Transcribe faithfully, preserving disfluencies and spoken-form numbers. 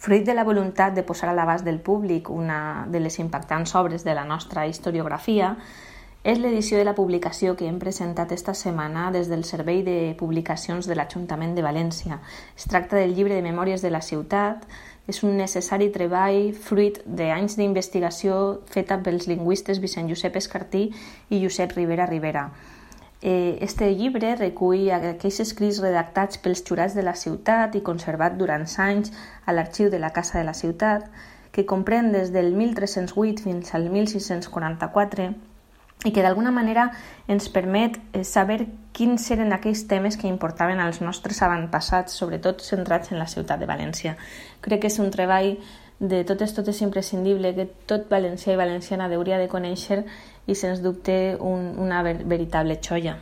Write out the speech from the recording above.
Fruit de la voluntat de posar a l'abast del públic una de les impactants obres de la nostra historiografia, és l'edició de la publicació que hem presentat esta setmana des del Servei de Publicacions de l'Ajuntament de València. Es tracta del llibre de Memòries de la Ciutat. És un necessari treball fruit d'anys d'investigació feta pels lingüistes Vicent Josep Escartí i Josep Ribera Ribera. Este llibre recull aquells escrits redactats pels jurats de la ciutat i conservat durant anys a l'arxiu de la Casa de la Ciutat, que comprèn des del mil tres-cents vuit fins al mil sis-cents quaranta-quatre i que d'alguna manera ens permet saber quins eren aquells temes que importaven als nostres avantpassats, sobretot centrats en la ciutat de València. Crec que és un treball de totes totes imprescindible que tot valencià i valenciana hauria de conèixer i sens dubte un, una ver- veritable xoia.